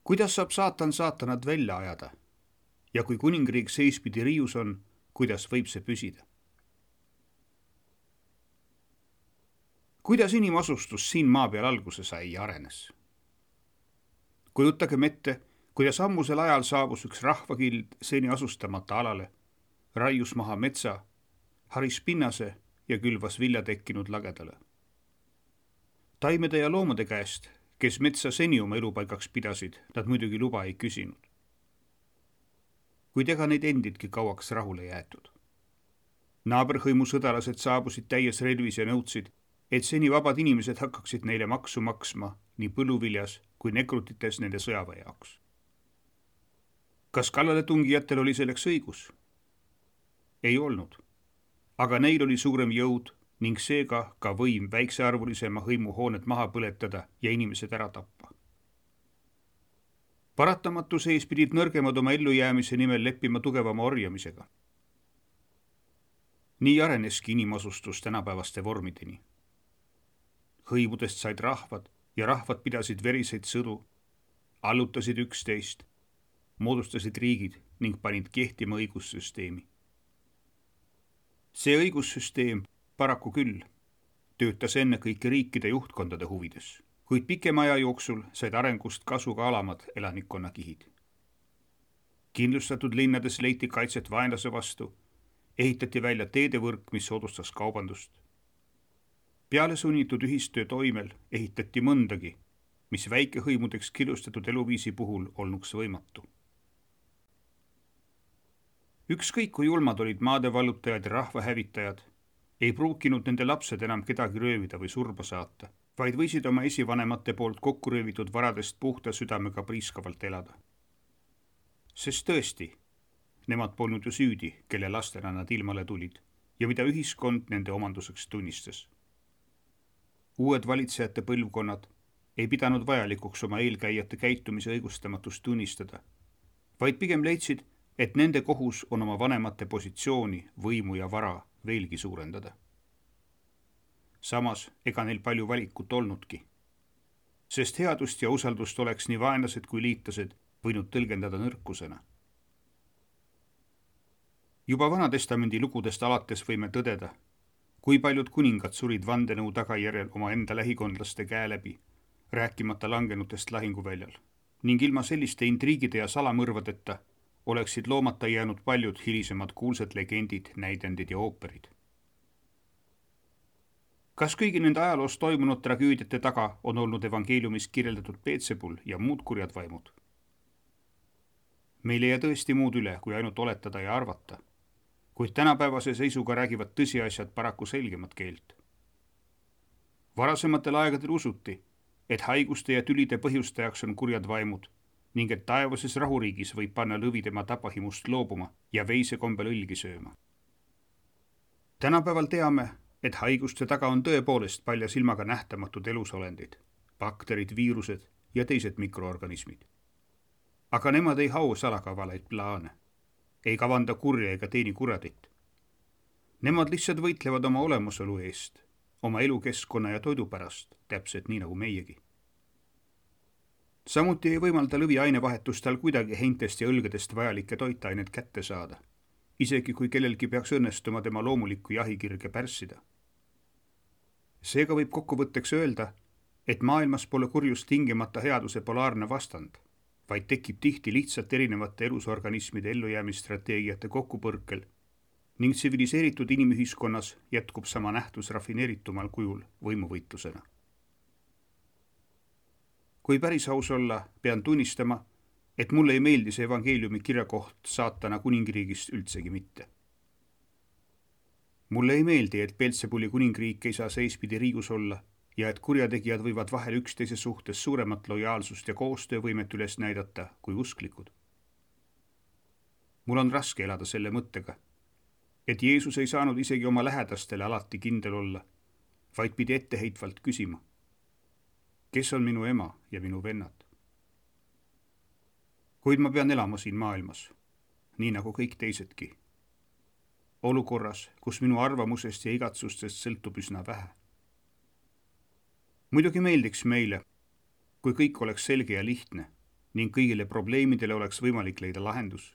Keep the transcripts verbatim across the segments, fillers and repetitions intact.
Kuidas saab saatan saatanat välja ajada? Ja kui kuningriik seispidi riius on, kuidas võib see püsida? Kuidas inimasustus siin maa peal alguse sai ja arenes? Kujutagem ette, kuidas ammusel ajal saabus üks rahvakild seni asustamata alale, raius maha metsa, haris pinnase ja külvas vilja tekkinud lagedale. Taimede ja loomade käest, kes metsa seni oma elupaigaks pidasid, nad muidugi luba ei küsinud. Kuid ega neid endidki kauaks rahule jäetud. Naaberhõimu sõdalased saabusid täies relvis ja nõudsid, et seni vabad inimesed hakkaksid neile maksu maksma nii põlluviljas kui nekrutites nende sõjaväe jaoks. Kas kallale tungijatel oli selleks õigus? Ei olnud, aga neil oli suurem jõud ning seega ka võim väiksearvulisema hõimu hooned maha põletada ja inimesed ära tappa. Paratamatu sees pidid nõrgemad oma ellujäämise nimel leppima tugevama orjamisega. Nii areneski inimasustus tänapäevaste vormideni. Hõimudest said rahvad ja rahvad pidasid veriseid sõdu, allutasid üksteist, moodustasid riigid ning panid kehtima õigussüsteemi. See õigussüsteem paraku küll töötas enne kõiki riikide juhtkondade huvides, kuid pikema aja jooksul said arengust kasu ka alamad elanikkonnakihid. Kindlustatud linnades leiti kaitset vaenlase vastu, ehitati välja teedevõrk, mis soodustas kaubandust. Peale sunnitud ühistöö toimel ehitati mõndagi, mis väikehõimudeks killustatud eluviisi puhul olnuks võimatu. Ükskõik kui julmad olid maadevallutajad ja rahvahävitajad, ei pruukinud nende lapsed enam kedagi röövida või surba saata, vaid võisid oma esivanemate poolt kokku röövitud varadest puhta südamega priiskavalt elada. Sest tõesti, nemad polnud ju süüdi, kelle lastena nad ilmale tulid ja mida ühiskond nende omanduseks tunnistas. Uued valitsejate põlvkonnad ei pidanud vajalikuks oma eelkäijate käitumise õigustamatust tunnistada, vaid pigem leidsid, et nende kohus on oma vanemate positsiooni, võimu ja vara veelgi suurendada. Samas ega neil palju valikut olnudki, sest headust ja usaldust oleks nii vaenlased kui liitlased võinud tõlgendada nõrkusena. Juba Vanatestamendi lugudest alates võime tõdeda, kui paljud kuningad surid vandenõu tagajärjel oma enda lähikondlaste käe läbi, rääkimata langenutest lahinguväljal, ning ilma selliste intriigide ja salamõrvadeta oleksid loomata jäänud paljud hilisemad kuulsad legendid, näidendid ja ooperid. Kas kõigi nende ajaloos toimunud tragöödiate taga on olnud evangeeliumis kirjeldatud Peetsebul ja muud kurjad vaimud? Meil ei jää tõesti muud üle, kui ainult oletada ja arvata, kuid tänapäevase seisuga räägivad tõsiasjad paraku selgemat keelt. Varasematel aegadel usuti, et haiguste ja tülide põhjustajaks on kurjad vaimud ning et taevases rahuriigis võib panna lõvi tema tapahimust loobuma ja veise kombel õlgi sööma. Tänapäeval teame, et haiguste taga on tõepoolest palja silmaga nähtamatud elusolendid, bakterid, viirused ja teised mikroorganismid. Aga nemad ei hau salakavalaid plaane, ei kavanda kurja ega teeni kuradit. Nemad lihtsalt võitlevad oma olemusolu eest, oma elukeskkonna ja toidu pärast, täpselt nii nagu meiegi. Samuti ei võimalda lõvi ainevahetustel kuidagi heintest ja õlgedest vajalikke toitained kätte saada, isegi kui kellelgi peaks õnnestuma tema loomulikku jahikirge pärssida. Seega võib kokkuvõtteks öelda, et maailmas pole kurjus tingimata headuse polaarne vastand, vaid tekib tihti lihtsalt erinevate elusorganismide ellujäämisstrateegiate kokkupõrkel ning tsiviliseeritud inimühiskonnas jätkub sama nähtus rafineeritumal kujul võimuvõitlusena. Kui päris aus olla, pean tunnistama, et mulle ei meeldi see evangeeliumi kirjakoht saatana kuningriigist üldsegi mitte. Mulle ei meeldi, et Beelzebuli kuningriik ei saa seispidi riius olla ja et kurjategijad võivad vahel üksteise suhtes suuremat lojaalsust ja koostöövõimet üles näidata kui usklikud. Mul on raske elada selle mõttega, et Jeesus ei saanud isegi oma lähedastele alati kindel olla, vaid pidi etteheitvalt küsima, kes on minu ema ja minu vennad. Kuid ma pean elama siin maailmas, nii nagu kõik teisedki. Olukorras, kus minu arvamusest ja igatsustest sõltub üsna vähe. Muidugi meeldiks meile, kui kõik oleks selge ja lihtne ning kõigile probleemidele oleks võimalik leida lahendus.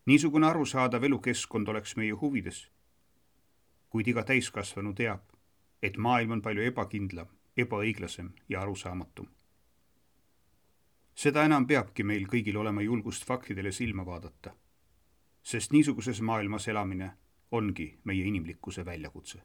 Niisugune arusaadav elukeskkond oleks meie huvides, kuid iga täiskasvanu teab, et maailm on palju ebakindlam, ebaõiglasem ja arusaamatum. Seda enam peabki meil kõigil olema julgust faktidele silma vaadata, sest niisuguses maailmas elamine ongi meie inimlikkuse väljakutse.